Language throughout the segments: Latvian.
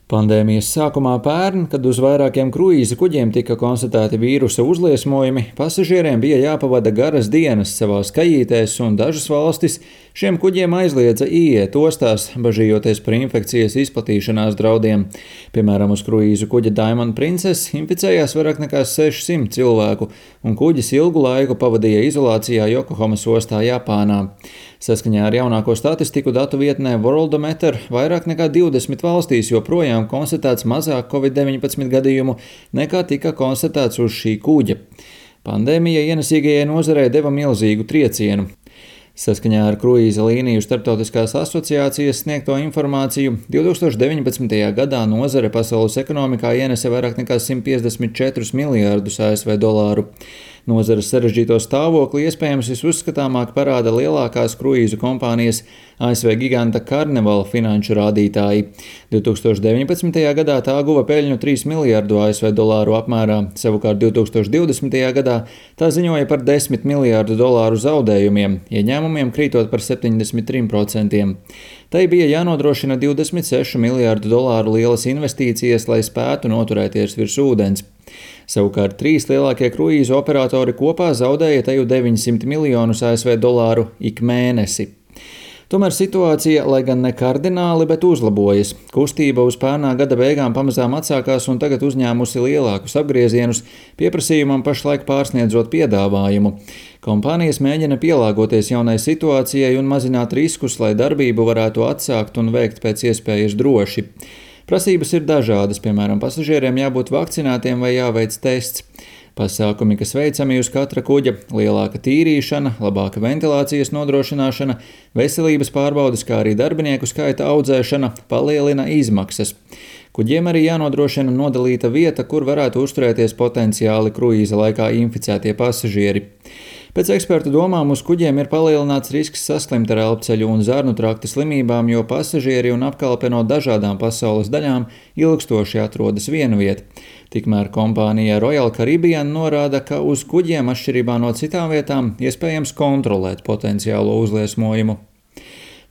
Pandēmijas sākumā pērn, kad uz vairākiem kruīza kuģiem tika konstatēti vīrusa uzliesmojumi, pasažieriem bija jāpavada garas dienas savās kajītēs, un dažas valstis šiem kuģiem aizliedza ieiet ostās, bažījoties par infekcijas izplatīšanās draudiem. Piemēram, uz kruīza kuģa Diamond Princess inficējās vairāk nekā 600 cilvēku, un kuģis ilgu laiku pavadīja izolācijā Jokohamas ostā, Japānā. Saskaņā ar jaunāko statistiku datu vietnē Worldometer vairāk nekā 20 valstīs joprojām konstatēts mazāk Covid-19 gadījumu nekā tika konstatēts uz šī kuģa. Pandēmija ienesīgajai nozarei deva milzīgu triecienu. Saskaņā ar Kruīza līniju starptautiskās asociācijas sniegto informāciju, 2019. gadā nozare pasaules ekonomikā ienesa vairāk nekā 154 miljārdus ASV dolāru. Nozares sarežģīto stāvokli iespējams visuzskatāmāk parāda lielākās kruīzu kompānijas ASV giganta Carnival finanšu rādītāji. 2019. gadā tā guva peļņu 3 miljārdu ASV dolāru apmērā, savukārt 2020. gadā tā ziņoja par 10 miljārdu dolāru zaudējumiem, ieņēmumiem krītot par 73%. Tai bija jānodrošina 26 miljārdu dolāru lielas investīcijas, lai spētu noturēties virs ūdens. Savukārt trīs lielākie kruīzu operatori kopā zaudēja teju 900 miljonus ASV dolāru ik mēnesi. Tomēr situācija, lai gan ne kardināli, bet uzlabojas. Kustība uz pērnā gada beigām pamazām atsākās un tagad uzņēmusi lielākus apgriezienus, pieprasījumam pašlaik pārsniedzot piedāvājumu. Kompānijas mēģina pielāgoties jaunai situācijai un mazināt riskus, lai darbību varētu atsākt un veikt pēc iespējas droši. Prasības ir dažādas, piemēram, pasažieriem jābūt vakcinētiem vai jāveic tests. Pasākumi, kas veicami uz katra kuģa - lielāka tīrīšana, labāka ventilācijas nodrošināšana, veselības pārbaudes, kā arī darbinieku skaita audzēšana, palielina izmaksas. Kuģiem arī jānodrošina nodalīta vieta, kur varētu uzturēties potenciāli kruīza laikā inficētie pasažieri. Pēc ekspertu domām uz kuģiem ir palielināts risks saslimt ar elpceļu un zarnu trakta slimībām, jo pasažieri un apkalpe no dažādām pasaules daļām ilgstoši atrodas vienviet. Tikmēr kompānija Royal Caribbean norāda, ka uz kuģiem atšķirībā no citām vietām iespējams kontrolēt potenciālo uzliesmojumu.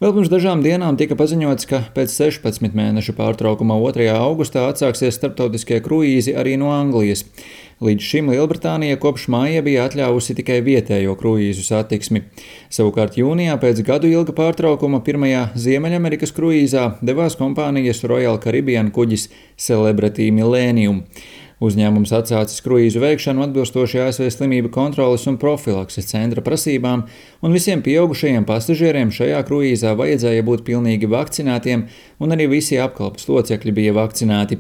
Vēl pirms dažām dienām tika paziņots, ka pēc 16 mēnešu pārtraukuma 2. augustā atsāksies starptautiskie kruīzi arī no Anglijas. Līdz šim Lielbritānija kopš māja bija atļāvusi tikai vietējo kruīzu satiksmi. Savukārt jūnijā pēc gadu ilga pārtraukuma pirmajā Ziemeļamerikas kruīzā devās kompānijas Royal Caribbean kuģis Celebrity Millennium. Uzņēmums atsācis kruīzu veikšanu atbilstoši ASV slimību kontroles un profilakses centra prasībām, un visiem pieaugušajiem pasažieriem šajā kruīzā vajadzēja būt pilnīgi vakcinētiem, un arī visi apkalpes locekļi bija vakcinēti.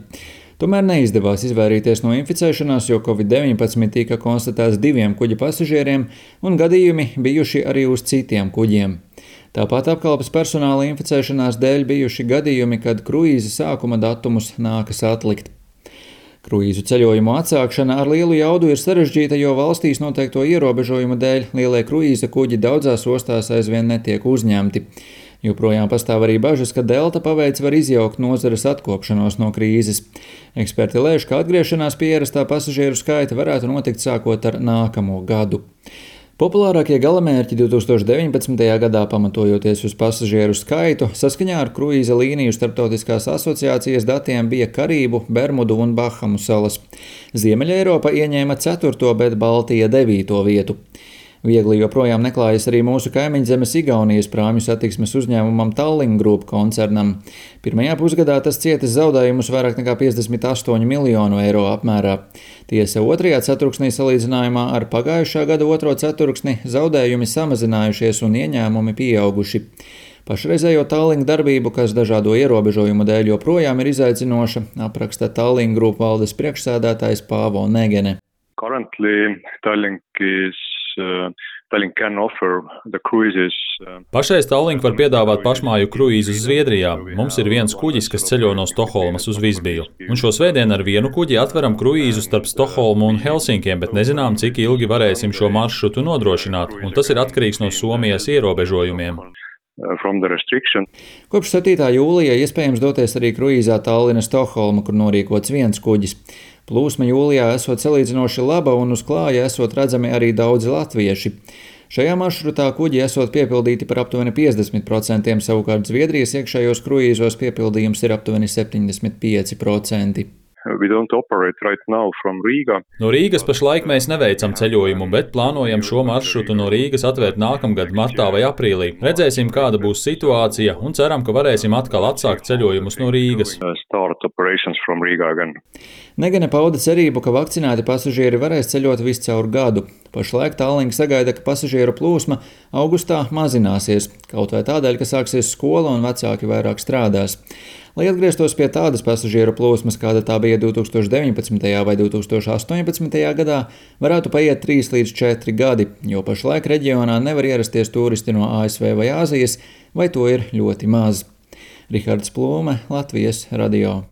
Tomēr neizdevās izvairīties no inficēšanās, jo Covid-19 tika konstatēts 2 kuģa pasažieriem, un gadījumi bijuši arī uz citiem kuģiem. Tāpat apkalpes personāla inficēšanās dēļ bijuši gadījumi, kad kruīza sākuma datumus nākas atlikt. Kruīzu ceļojumu atsākšana ar lielu jaudu ir sarežģīta, jo valstīs noteikto ierobežojumu dēļ lielie kruīza kuģi daudzās ostās aizvien netiek uzņemti. Joprojām pastāv arī bažas, ka delta paveids var izjaukt nozares atkopšanos no krīzes. Eksperti lēš, ka atgriešanās pie ierastā pasažieru skaita varētu notikt sākot ar nākamo gadu. Populārākie galamērķi 2019. gadā, pamatojoties uz pasažieru skaitu, saskaņā ar kruīza līniju starptautiskās asociācijas datiem bija Karību, Bermudu un Bahamu salas. Ziemeļa Eiropa ieņēma 4., bet Baltija 9. vietu. Viegli joprojām neklājas arī mūsu kaimiņzemes Igaunijas prāmju satiksmes uzņēmumam Tallink Group koncernam. Pirmajā pusgadā tas cietis zaudējumus vairāk nekā 58 miljonu eiro apmērā. Tiesa 2. ceturksnī salīdzinājumā ar pagājušā gada 2. ceturksni zaudējumi samazinājušies un ieņēmumi pieauguši. Pašreizējo Tallink darbību, kas dažādo ierobežojumu dēļ joprojām ir izaicinoša, apraksta Tallink Group valdes priekšsēdētājs Paavo Negene. Pašreiz Tallink var piedāvāt pašmāju kruīzus Zviedrijā. Mums ir viens kuģis, kas ceļo no Stokholmas uz Visbiju. Un šo svētdienu ar vienu kuģi atveram kruīzu starp Stokholmu un Helsinkiem, bet nezinām, cik ilgi varēsim šo maršrutu nodrošināt, un tas ir atkarīgs no Somijas ierobežojumiem. Kopš 7. jūlija iespējams doties arī kruīzā Talline-Stokholma, kur norīkots viens kuģis. Plūsma jūlijā esot salīdzinoši laba un uz klāja esot redzami arī daudzi latvieši. Šajā maršrutā kuģi esot piepildīti par aptuveni 50%, savukārt Zviedrijas iekšējos kruīzos piepildījums ir aptuveni 75%. No Rīgas pašlaik mēs neveicam ceļojumu, bet plānojam šo maršrutu no Rīgas atvērt nākamgad martā vai aprīlī. Redzēsim, kāda būs situācija un ceram, ka varēsim atkal atsākt ceļojumus no Rīgas. Negane pauda cerību, ka vakcinēti pasažieri varēs ceļot viscaur gadu. Pašlaik Tallink sagaida, ka pasažieru plūsma augustā mazināsies, kaut vai tādēļ, ka sāksies skola un vecāki vairāk strādās. Lai atgrieztos pie tādas pasažieru plūsmas, kāda tā bija 2019. vai 2018. gadā, varētu paiet 3 līdz 4 gadi, jo pašlaik reģionā nevar ierasties turisti no ASV vai Āzijas, vai to ir ļoti maz. Rihards Plūme, Latvijas radio.